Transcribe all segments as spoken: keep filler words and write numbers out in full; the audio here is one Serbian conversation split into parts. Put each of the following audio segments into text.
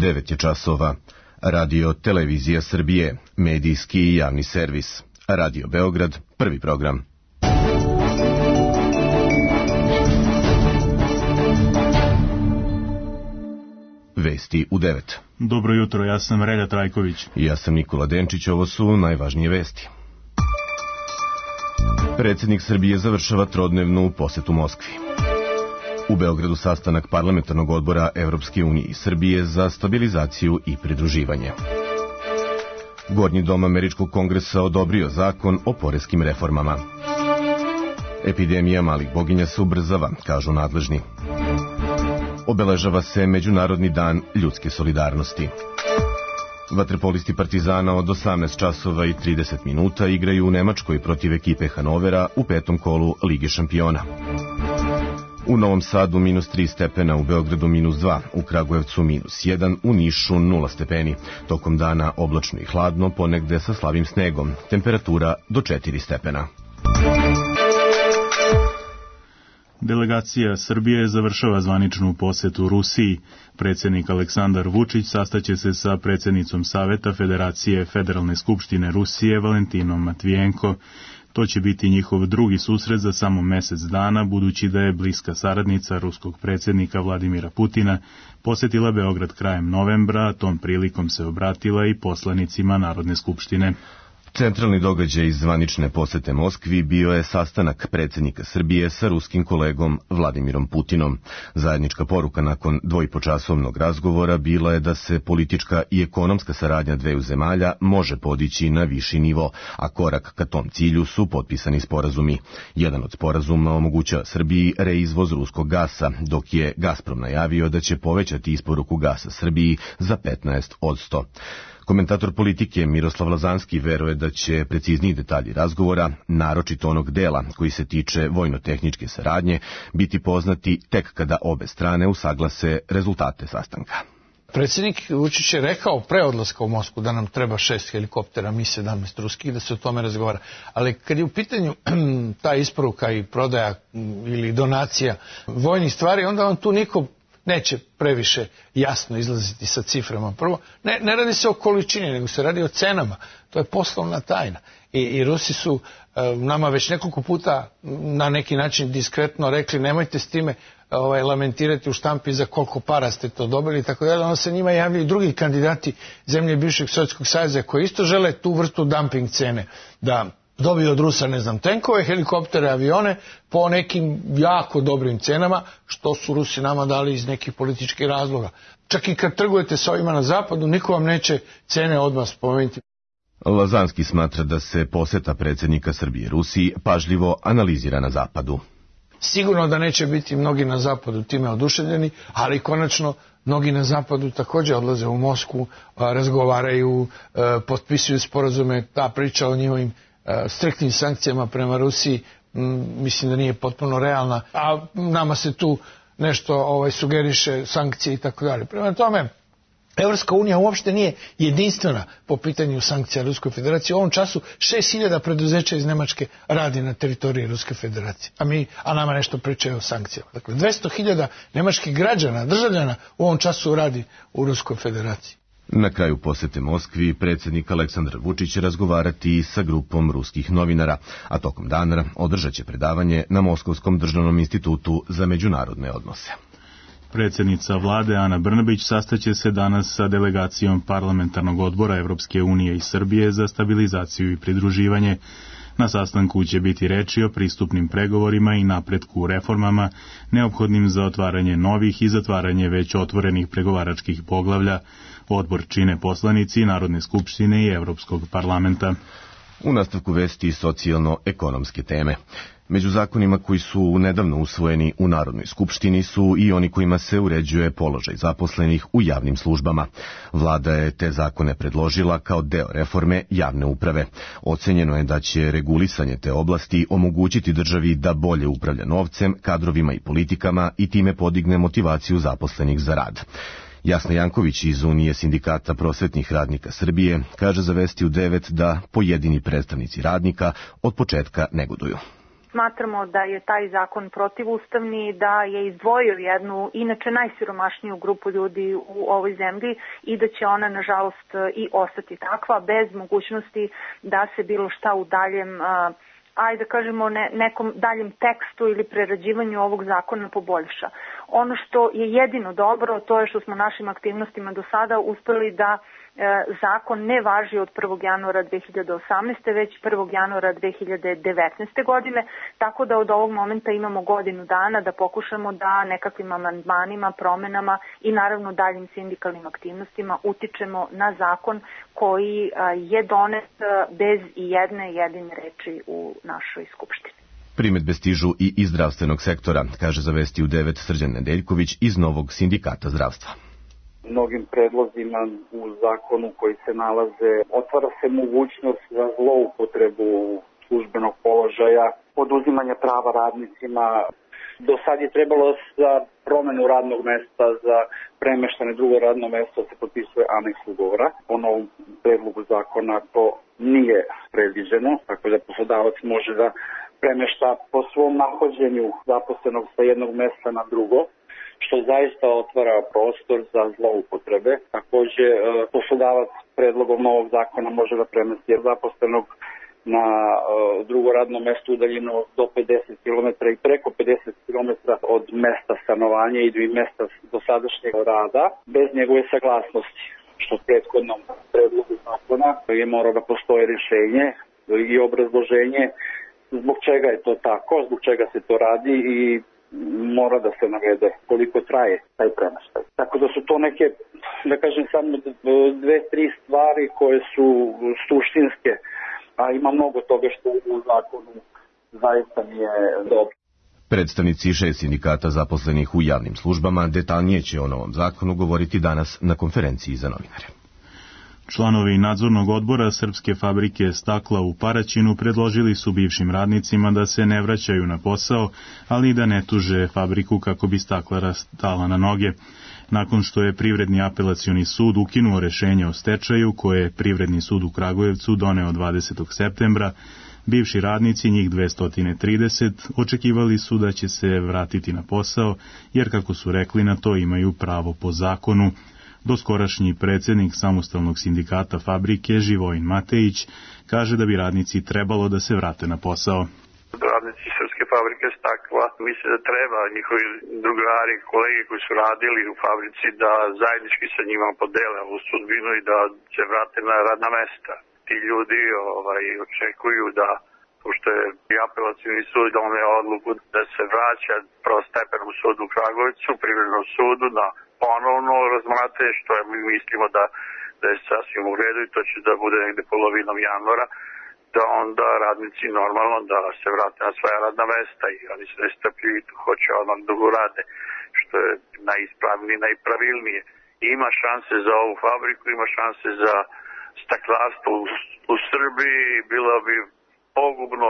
devet je časova. Radio Televizija Srbije, medijski i javni servis. Radio Beograd, prvi program. Vesti u devet. Dobro jutro, ja sam Relja Trajković. I ja sam Nikola Denčić, ovo su najvažnije vesti. Predsjednik Srbije završava trodnevnu posetu Moskvi. U Beogradu sastanak parlamentarnog odbora Evropske unije i Srbije za stabilizaciju i pridruživanje. Gornji dom Američkog kongresa odobrio zakon o poreskim reformama. Epidemija malih boginja se ubrzava, kažu nadležni. Obeležava se Međunarodni dan ljudske solidarnosti. Vaterpolisti Partizana od osamnaest časova i trideset minuta igraju u Nemačkoj protiv ekipe Hanovera u petom kolu Lige šampiona. U Novom Sadu minus tri stepena, u Beogradu minus dva, u Kragujevcu minus jedan, u Nišu nula stepeni. Tokom dana oblačno i hladno, ponegde sa slabim snegom. Temperatura do četiri stepena. Delegacija Srbije završava zvaničnu posetu Rusiji. Predsjednik Aleksandar Vučić sastaće se sa predsjednicom Saveta Federacije Federalne skupštine Rusije Valentinom Matvijenko. To će biti njihov drugi susret za samo mjesec dana, budući da je bliska saradnica ruskog predsjednika Vladimira Putina posjetila Beograd krajem novembra, a tom prilikom se obratila i poslanicima Narodne skupštine. Centralni događaj iz zvanične posete Moskvi bio je sastanak predsjednika Srbije sa ruskim kolegom Vladimirom Putinom. Zajednička poruka nakon dvojpočasovnog razgovora bila je da se politička i ekonomska saradnja dveju zemalja može podići na viši nivo, a korak ka tom cilju su potpisani sporazumi. Jedan od sporazuma omogućava Srbiji reizvoz ruskog gasa, dok je Gazprom najavio da će povećati isporuku gasa Srbiji za petnaest posto. Komentator politike Miroslav Lazanski veruje da će precizniji detalji razgovora, naročito onog dela koji se tiče vojno-tehničke saradnje, biti poznati tek kada obe strane usaglase rezultate sastanka. Predsjednik Vučić je rekao pre odlaska u Moskvu da nam treba šest helikoptera Mi sedamnaest ruskih, da se o tome razgovara. Ali kad je u pitanju ta isporuka i prodaja ili donacija vojnih stvari, onda on tu niko neće previše jasno izlaziti sa ciframa. Prvo, ne, ne radi se o količini, nego se radi o cenama. To je poslovna tajna. I, i Rusi su e, nama već nekoliko puta na neki način diskretno rekli nemojte s time ovaj, lamentirati u štampi za koliko para ste to dobili i tako dalje. Onda se njima javljaju i drugi kandidati zemlje bivšeg Sovjetskog saveza koji isto žele tu vrstu dumping cene da dobiju od Rusa, ne znam, tenkove, helikoptere, avione po nekim jako dobrim cenama, što su Rusi nama dali iz nekih političkih razloga. Čak i kad trgujete s ovima na zapadu, niko vam neće cene odmah spomenuti. Lazanski smatra da se poseta predsjednika Srbije Rusiji pažljivo analizira na zapadu. Sigurno da neće biti mnogi na zapadu time oduševljeni, ali konačno mnogi na zapadu također odlaze u Moskvu, razgovaraju, potpisuju sporazume, ta priča o njihovim striktnim sankcijama prema Rusiji mislim da nije potpuno realna, a nama se tu nešto ovaj, sugeriše sankcije i tako dalje. Prema tome, Evropska unija uopšte nije jedinstvena po pitanju sankcija Ruskoj federaciji. U ovom času šest hiljada preduzeća iz Nemačke radi na teritoriji Ruske federacije, a, mi, a nama nešto pričaju o sankcijama. Dakle, dvesta hiljada nemačkih građana, državljana u ovom času radi u Ruskoj federaciji. Na kraju posete Moskvi predsjednik Aleksandar Vučić će razgovarati sa grupom ruskih novinara, a tokom dana održat će predavanje na Moskovskom državnom institutu za međunarodne odnose. Predsjednica vlade Ana Brnabić sastaće se danas sa delegacijom parlamentarnog odbora Evropske unije i Srbije za stabilizaciju i pridruživanje. Na sastanku će biti reči o pristupnim pregovorima i napretku u reformama, neophodnim za otvaranje novih i zatvaranje već otvorenih pregovaračkih poglavlja. Odbor čine poslanici Narodne skupštine i Evropskog parlamenta. U nastavku vesti socijalno-ekonomske teme. Među zakonima koji su nedavno usvojeni u Narodnoj skupštini su i oni kojima se uređuje položaj zaposlenih u javnim službama. Vlada je te zakone predložila kao deo reforme javne uprave. Ocenjeno je da će regulisanje te oblasti omogućiti državi da bolje upravlja novcem, kadrovima i politikama i time podigne motivaciju zaposlenih za rad. Jasna Janković iz Unije sindikata prosvetnih radnika Srbije kaže za Vesti u devet da pojedini predstavnici radnika od početka negoduju. Smatramo da je taj zakon protivustavni, da je izdvojio jednu, inače najsiromašniju grupu ljudi u ovoj zemlji i da će ona, nažalost, i ostati takva, bez mogućnosti da se bilo šta u daljem, ajde da kažemo, ne, nekom daljem tekstu ili prerađivanju ovog zakona poboljša. Ono što je jedino dobro, to je što smo našim aktivnostima do sada uspeli da zakon ne važi od prvog januara dve hiljade osamnaeste. već prvog januara dve hiljade devetnaeste. godine, tako da od ovog momenta imamo godinu dana da pokušamo da nekakvim amandmanima, promenama i naravno daljim sindikalnim aktivnostima utičemo na zakon koji je donet bez i jedne jedine reči u našoj skupštini. Primedbe stižu i iz zdravstvenog sektora, kaže za Vesti u devet Srđan Nedeljković iz Novog sindikata zdravstva. Mnogim predlozima u zakonu koji se nalaze otvara se mogućnost za zloupotrebu službenog položaja, oduzimanje prava radnicima. Do sad je trebalo za promenu radnog mesta, za premeštanje drugo radno mesto se potpisuje aneks ugovora. Po novom predlogu zakona to nije predviđeno, tako da poslodavac može da premešta po svom nahođenju zaposlenog sa jednog mesta na drugo, što zaista otvara prostor za zloupotrebe. Takođe, poslodavac predlogom novog zakona može da premesti zaposlenog na drugo radno mesto udaljeno do pedeset kilometara i preko pedeset kilometara od mesta stanovanja i mesta dosadašnjeg rada bez njegove saglasnosti, što u prethodnom predlogu zakona je morao da postoje rješenje i obrazloženje zbog čega je to tako, zbog čega se to radi i mora da se navede koliko traje taj premeštaj. Tako da su to neke, da kažem, samo dve, tri stvari koje su suštinske, a ima mnogo toga što u zakonu zaista nije dobro. Predstavnici šest sindikata zaposlenih u javnim službama detaljnije će o novom zakonu govoriti danas na konferenciji za novinare. Članovi nadzornog odbora Srpske fabrike stakla u Paraćinu predložili su bivšim radnicima da se ne vraćaju na posao, ali i da ne tuže fabriku kako bi staklara stala na noge. Nakon što je Privredni apelacioni sud ukinuo rešenje o stečaju koje je Privredni sud u Kragujevcu doneo dvadesetog septembra, bivši radnici, njih dvesta trideset, očekivali su da će se vratiti na posao, jer kako su rekli na to imaju pravo po zakonu. Doskorašnji predsjednik samostalnog sindikata fabrike Živojin Matejić kaže da bi radnici trebalo da se vrate na posao. Radnici Srpske fabrike stakla misle da treba njihovi drugari, kolege koji su radili u fabrici da zajednički sa njima podele ovu sudbinu i da se vrate na radna mesta. Ti ljudi ovaj, očekuju da, pošto je i apelacioni sud doneo odluku da se vraća prvostepenom sudu u Kragujevcu, Privrednom sudu, na ponovno razmate, što je, mi mislimo da, da je sasvim u redu i to će da bude negde polovinom januara, da onda radnici normalno da se vrate na svoja radna mesta i oni se nestrpljuju i hoće odmah da rade, što je najispravnije, najpravilnije. I ima šanse za ovu fabriku, ima šanse za staklarstvo u, u Srbiji, bilo bi pogubno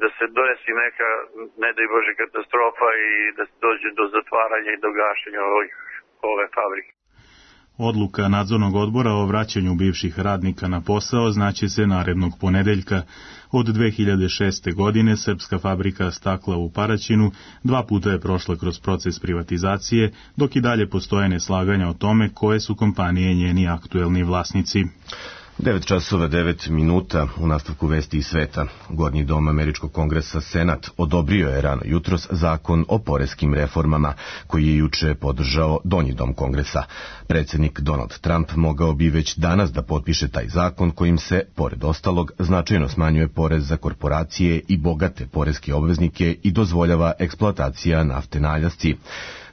da se desi neka, ne daj Bože, katastrofa i da se dođe do zatvaranja i do gašenja ovih ove fabrike. Odluka nadzornog odbora o vraćanju bivših radnika na posao znaće se narednog ponedeljka. Od dve hiljade šeste. godine Srpska fabrika stakla u Paraćinu dva puta je prošla kroz proces privatizacije, dok i dalje postoje neslaganja o tome koje su kompanije njeni aktuelni vlasnici. devet časova devet minuta u nastavku Vesti iz sveta. Gornji dom Američkog kongresa Senat odobrio je rano jutros zakon o poreskim reformama, koji je juče podržao Donji dom kongresa. Predsjednik Donald Trump mogao bi već danas da potpiše taj zakon kojim se, pored ostalog, značajno smanjuje porez za korporacije i bogate poreske obveznike i dozvoljava eksploatacija nafte na Aljasci.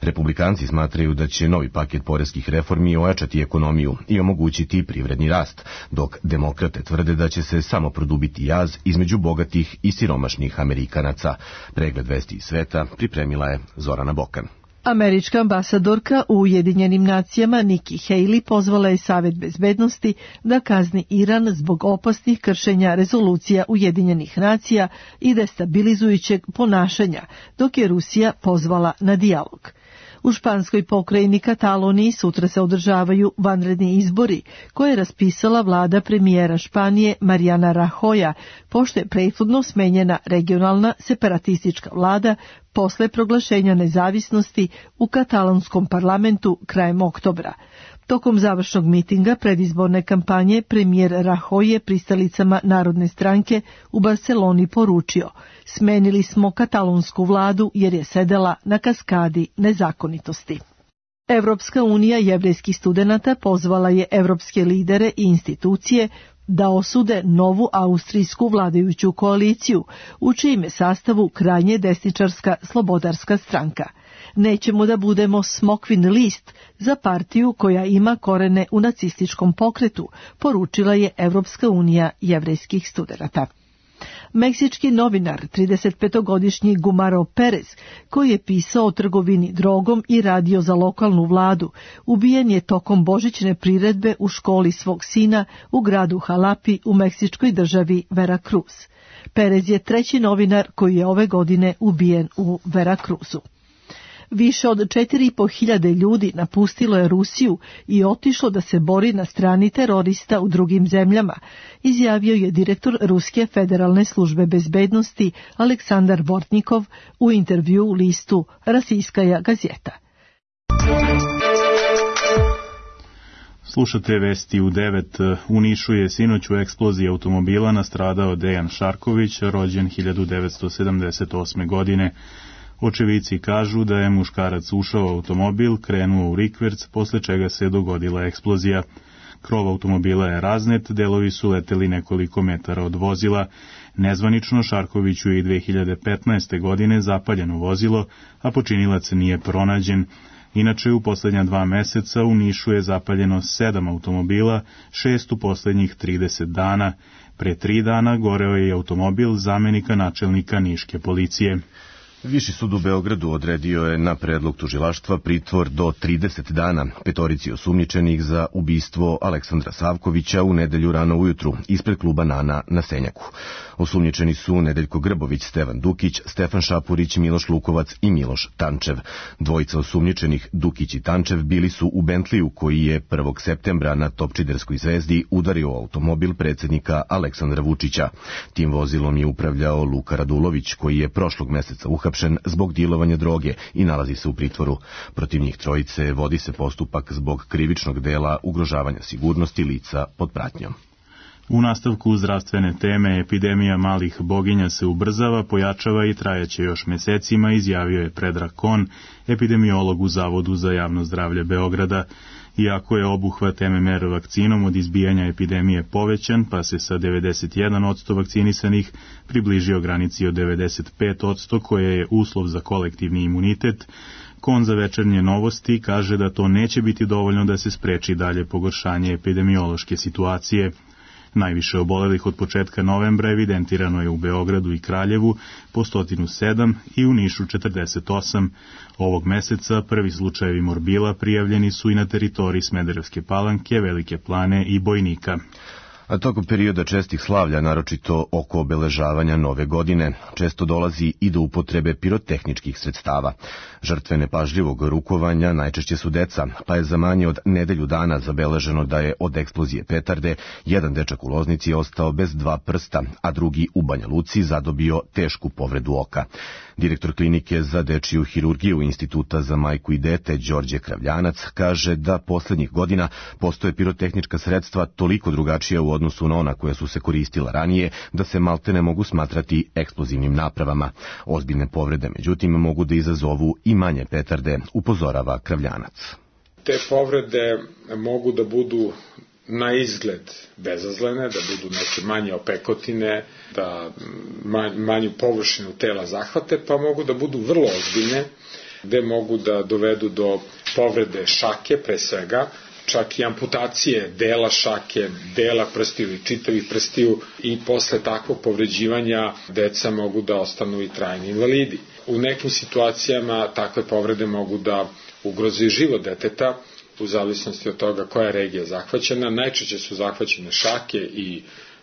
Republikanci smatraju da će novi paket poreskih reformi ojačati ekonomiju i omogućiti privredni rast, dok demokrate tvrde da će se samo produbiti jaz između bogatih i siromašnih Amerikanaca. Pregled Vesti iz sveta pripremila je Zorana Bokan. Američka ambasadorka u Ujedinjenim nacijama Nikki Haley pozvala je Savet bezbednosti da kazni Iran zbog opasnih kršenja rezolucija Ujedinjenih nacija i destabilizujućeg ponašanja, dok je Rusija pozvala na dijalog. U španskoj pokrajini Kataloniji sutra se održavaju vanredni izbori koje je raspisala vlada premijera Španije Mariana Rajoya, pošto je prethodno smenjena regionalna separatistička vlada posle proglašenja nezavisnosti u katalonskom parlamentu krajem oktobra. Tokom završnog mitinga predizborne kampanje premijer Rajoy je pristalicama Narodne stranke u Barceloni poručio: "Smenili smo katalonsku vladu jer je sedela na kaskadi nezakonitosti." Evropska unija jevrejskih studenata pozvala je evropske lidere i institucije da osude novu austrijsku vladajuću koaliciju, u čijem je sastavu krajnje desničarska Slobodarska stranka. Nećemo da budemo smokvin list za partiju koja ima korene u nacističkom pokretu, poručila je Evropska unija jevrejskih studenata. Meksički novinar, tridesetpetogodišnji Gumaro Perez, koji je pisao o trgovini drogom i radio za lokalnu vladu, ubijen je tokom božićne priredbe u školi svog sina u gradu Halapi u meksičkoj državi Veracruz. Perez je treći novinar koji je ove godine ubijen u Veracruzu. Više od četiri i po hiljade ljudi napustilo je Rusiju i otišlo da se bori na strani terorista u drugim zemljama, izjavio je direktor Ruske federalne službe bezbednosti Aleksandar Bortnikov u intervju u listu Rasijskaja gazeta. Slušate vesti u devet. U Nišu je sinoć u eksploziji automobila nastradao Dejan Šarković, rođen hiljadu devetsto sedamdeset osme. godine. Očevici kažu da je muškarac ušao u automobil, krenuo u rikverc, posle čega se dogodila eksplozija. Krov automobila je raznet, delovi su leteli nekoliko metara od vozila. Nezvanično Šarkoviću je i dve hiljade petnaeste. godine zapaljeno vozilo, a počinilac nije pronađen. Inače, u poslednja dva meseca u Nišu je zapaljeno sedam automobila, šest u poslednjih trideset dana. Pre tri dana goreo je automobil zamenika načelnika niške policije. Viši sud u Beogradu odredio je na predlog tužilaštva pritvor do trideset dana petorici osumnjičenih za ubistvo Aleksandra Savkovića u nedelju rano ujutru ispred kluba Nana na Senjaku. Osumnjičeni su Nedeljko Grbović, Stevan Dukić, Stefan Šapurić, Miloš Lukovac i Miloš Tančev. Dvojica osumnjičenih, Dukić i Tančev, bili su u Bentliju koji je prvog septembra na Topčiderskoj zvezdi udario automobil predsjednika Aleksandra Vučića. Tim vozilom je upravljao Luka Radulović, koji je prošlog meseca uhapšen zbog dilovanja droge i nalazi se u pritvoru. Protiv njih trojice vodi se postupak zbog krivičnog dela ugrožavanja sigurnosti lica pod pratnjom. U nastavku zdravstvene teme, epidemija malih boginja se ubrzava, pojačava i trajaće još mesecima, izjavio je Predrag Kon, epidemiolog u Zavodu za javno zdravlje Beograda. Iako je obuhvat M M R vakcinom od izbijanja epidemije povećan, pa se sa devedeset jedan posto vakcinisanih približio granici od devedeset pet posto, koja je uslov za kolektivni imunitet, Kon za Večernje novosti kaže da to neće biti dovoljno da se spreči dalje pogoršanje epidemiološke situacije. Najviše obolelih od početka novembra evidentirano je u Beogradu i Kraljevu po sto sedam i u Nišu četrdeset osam. Ovog meseca prvi slučajevi morbila prijavljeni su i na teritoriji Smederevske Palanke, Velike Plane i Bojnika. A tokom perioda čestih slavlja, naročito oko obeležavanja nove godine, često dolazi i do upotrebe pirotehničkih sredstava. Žrtve nepažljivog rukovanja najčešće su deca, pa je za manje od nedelju dana zabeleženo da je od eksplozije petarde jedan dečak u Loznici ostao bez dva prsta, a drugi u Banja Luci zadobio tešku povredu oka. Direktor klinike za dečiju hirurgiju Instituta za majku i dete Đorđe Kravljanac kaže da poslednjih godina postoje pirotehnička sredstva toliko drugačija u odnosu na ona koja su se koristila ranije, da se malte ne mogu smatrati eksplozivnim napravama. Ozbiljne povrede, međutim, mogu da izazovu i manje petarde, upozorava Kravljanac. Te povrede mogu da budu na izgled bezazlene, da budu neke manje opekotine, da manju površinu tela zahvate, pa mogu da budu vrlo ozbiljne, gde mogu da dovedu do povrede šake, pre svega, čak i amputacije dela šake, dela prstiju i čitavih prstiju, i posle takvog povređivanja deca mogu da ostanu i trajni invalidi. U nekim situacijama takve povrede mogu da ugroze život deteta, u zavisnosti od toga koja je regija zahvaćena. Najčešće su zahvaćene šake i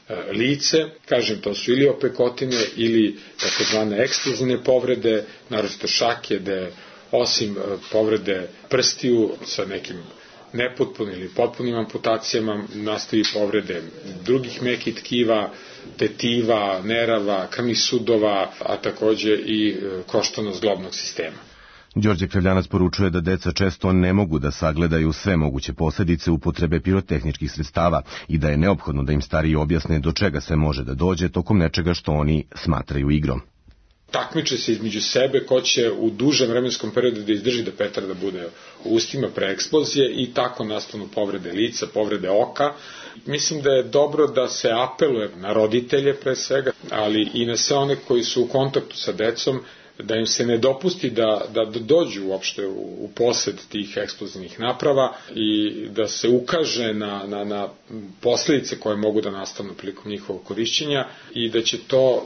e, lice, kažem, to su ili opekotine ili takozvane eksplozivne povrede, naročito šake, gde osim povrede prstiju sa nekim nepotpunim ili potpunim amputacijama, nastaju povrede drugih mekih tkiva, tetiva, nerava, krvnih sudova, a takođe i koštano-zglobnog sistema. Đorđe Krevljanac poručuje da deca često ne mogu da sagledaju sve moguće posledice upotrebe pirotehničkih sredstava i da je neophodno da im stariji objasne do čega se može da dođe tokom nečega što oni smatraju igrom. Takmiče se između sebe ko će u dužem vremenskom periodu da izdrži da petarda bude u ustima pre eksplozije i tako nastanu povrede lica, povrede oka. Mislim da je dobro da se apeluje na roditelje pre svega, ali i na sve one koji su u kontaktu sa decom, da im se ne dopusti da, da dođu uopšte u, u posed tih eksplozivnih naprava i da se ukaže na, na, na posledice koje mogu da nastanu prilikom njihovog korišćenja i da će to,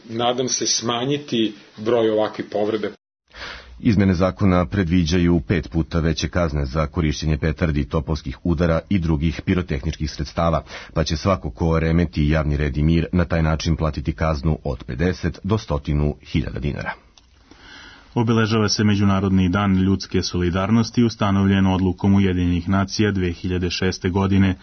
nadam se, smanjiti broj ovakvih povrede. Izmene zakona predviđaju pet puta veće kazne za korišćenje petardi, topovskih udara i drugih pirotehničkih sredstava, pa će svako ko remeti javni red i mir na taj način platiti kaznu od pedeset do sto hiljada dinara. Obeležava se Međunarodni dan ljudske solidarnosti ustanovljen odlukom Ujedinjenih nacija dve hiljade šeste. godine.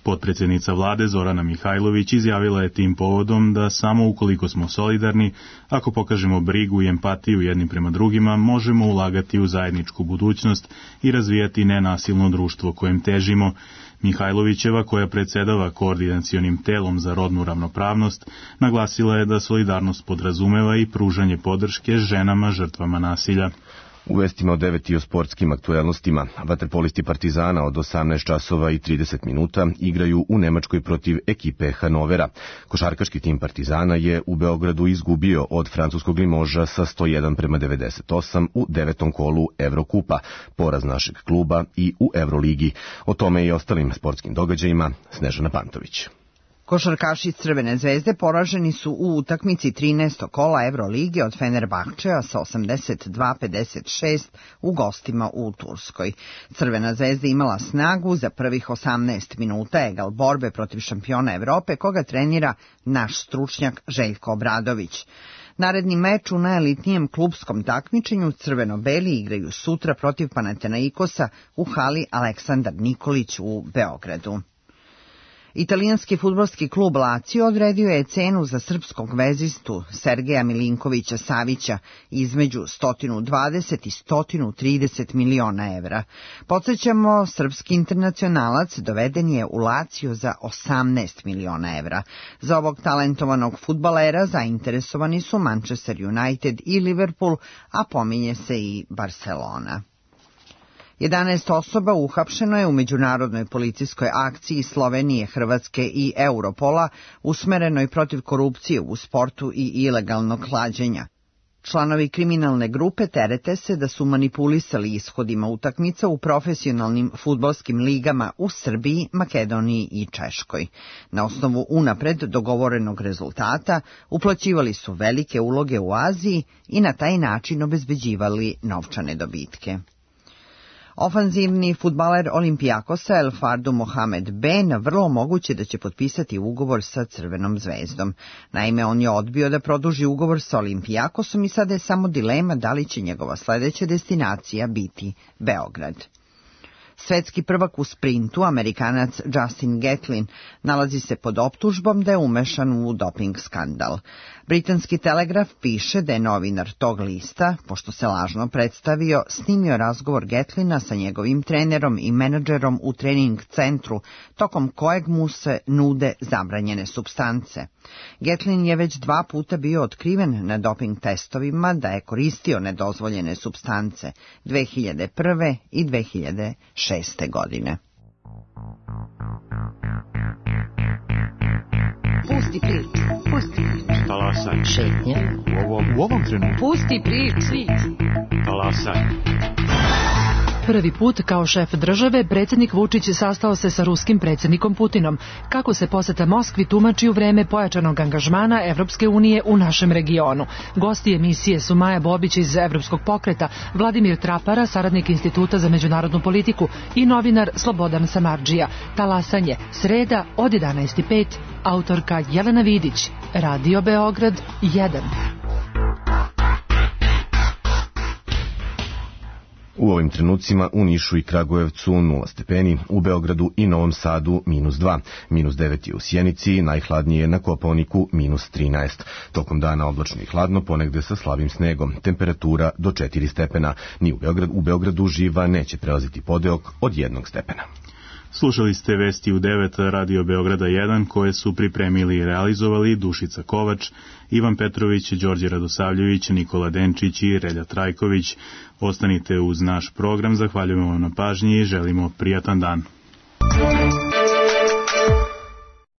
Potpredsjednica vlade Zorana Mihajlović izjavila je tim povodom da samo ukoliko smo solidarni, ako pokažemo brigu i empatiju jednim prema drugima, možemo ulagati u zajedničku budućnost i razvijati nenasilno društvo kojem težimo. Mihajlovićeva, koja predsedava koordinacionim telom za rodnu ravnopravnost, naglasila je da solidarnost podrazumeva i pružanje podrške ženama žrtvama nasilja. U vestima o devet i o sportskim aktuelnostima, vaterpolisti Partizana od osamnaest časova i trideset minuta igraju u Nemačkoj protiv ekipe Hanovera. Košarkaški tim Partizana je u Beogradu izgubio od francuskog Limoža sa sto jedan prema devedeset osam u devetom kolu Evrokupa, poraz našeg kluba i u Evroligi. O tome i ostalim sportskim događajima Snežana Pantović. Košarkaši Crvene zvezde poraženi su u utakmici trinaestog kola Evrolige od Fenerbahčeja sa osamdeset dva pedeset šest u gostima u Turskoj. Crvena zvezda imala snagu za prvih osamnaest minuta egal borbe protiv šampiona Evrope koga trenira naš stručnjak Željko Obradović. Naredni meč u najelitnijem klupskom takmičenju crveno-beli igraju sutra protiv Panathinaikosa u hali Aleksandar Nikolić u Beogradu. Italijanski fudbalski klub Lazio odredio je cenu za srpskog vezistu Sergeja Milinkovića Savića između sto dvadeset i sto trideset miliona evra. Podsjećamo, srpski internacionalac doveden je u Lazio za osamnaest miliona evra. Za ovog talentovanog fudbalera zainteresovani su Manchester United i Liverpool, a pominje se i Barcelona. jedanaest osoba uhapšeno je u međunarodnoj policijskoj akciji Slovenije, Hrvatske i Europola usmerenoj protiv korupcije u sportu i ilegalnog klađenja. Članovi kriminalne grupe terete se da su manipulisali ishodima utakmica u profesionalnim fudbalskim ligama u Srbiji, Makedoniji i Češkoj. Na osnovu unapred dogovorenog rezultata uplaćivali su velike uloge u Aziji i na taj način obezbeđivali novčane dobitke. Ofanzivni fudbaler Olimpijakosa El Fardu Mohamed Ben vrlo moguće da će potpisati ugovor sa Crvenom zvezdom. Naime, on je odbio da produži ugovor sa Olimpijakosom i sada je samo dilema da li će njegova sledeća destinacija biti Beograd. Svetski prvak u sprintu, Amerikanac Justin Gatlin, nalazi se pod optužbom da je umešan u doping skandal. Britanski Telegraf piše da je novinar tog lista, pošto se lažno predstavio, snimio razgovor Gatlina sa njegovim trenerom i menadžerom u trening centru, tokom kojeg mu se nude zabranjene supstance. Gatlin je već dva puta bio otkriven na doping testovima da je koristio nedozvoljene supstance dve hiljade prve i dve hiljade šeste. godine. Pusti priču, pusti priču. Talasaj. Šetnje. U ovom, u ovom trenutku. Pusti priču. Talasaj. Prvi put kao šef države predsjednik Vučić sastao se sa ruskim predsjednikom Putinom. Kako se poseta Moskvi tumači u vreme pojačanog angažmana Evropske unije u našem regionu. Gosti emisije su Maja Bobić iz Evropskog pokreta, Vladimir Trapara, saradnik Instituta za međunarodnu politiku i novinar Slobodan Samardžija. Talasanje, sreda od jedanaest i pet, autorka Jelena Vidić, Radio Beograd jedan. U ovim trenucima u Nišu i Kragujevcu nula stepeni, u Beogradu i Novom Sadu minus dva, minus devet je u Sjenici, najhladnije na Kopaoniku minus trinaest. Tokom dana oblačno i hladno, ponegde sa slabim snegom, temperatura do četiri stepena. Ni u Beogradu, u Beogradu živa neće prelaziti podeok od jednog stepena. Slušali ste vesti u devet Radio Beograda jedan koje su pripremili i realizovali Dušica Kovač, Ivan Petrović, Đorđe Radosavljević, Nikola Denčić i Relja Trajković. Ostanite uz naš program, zahvaljujemo vam na pažnji i želimo prijatan dan.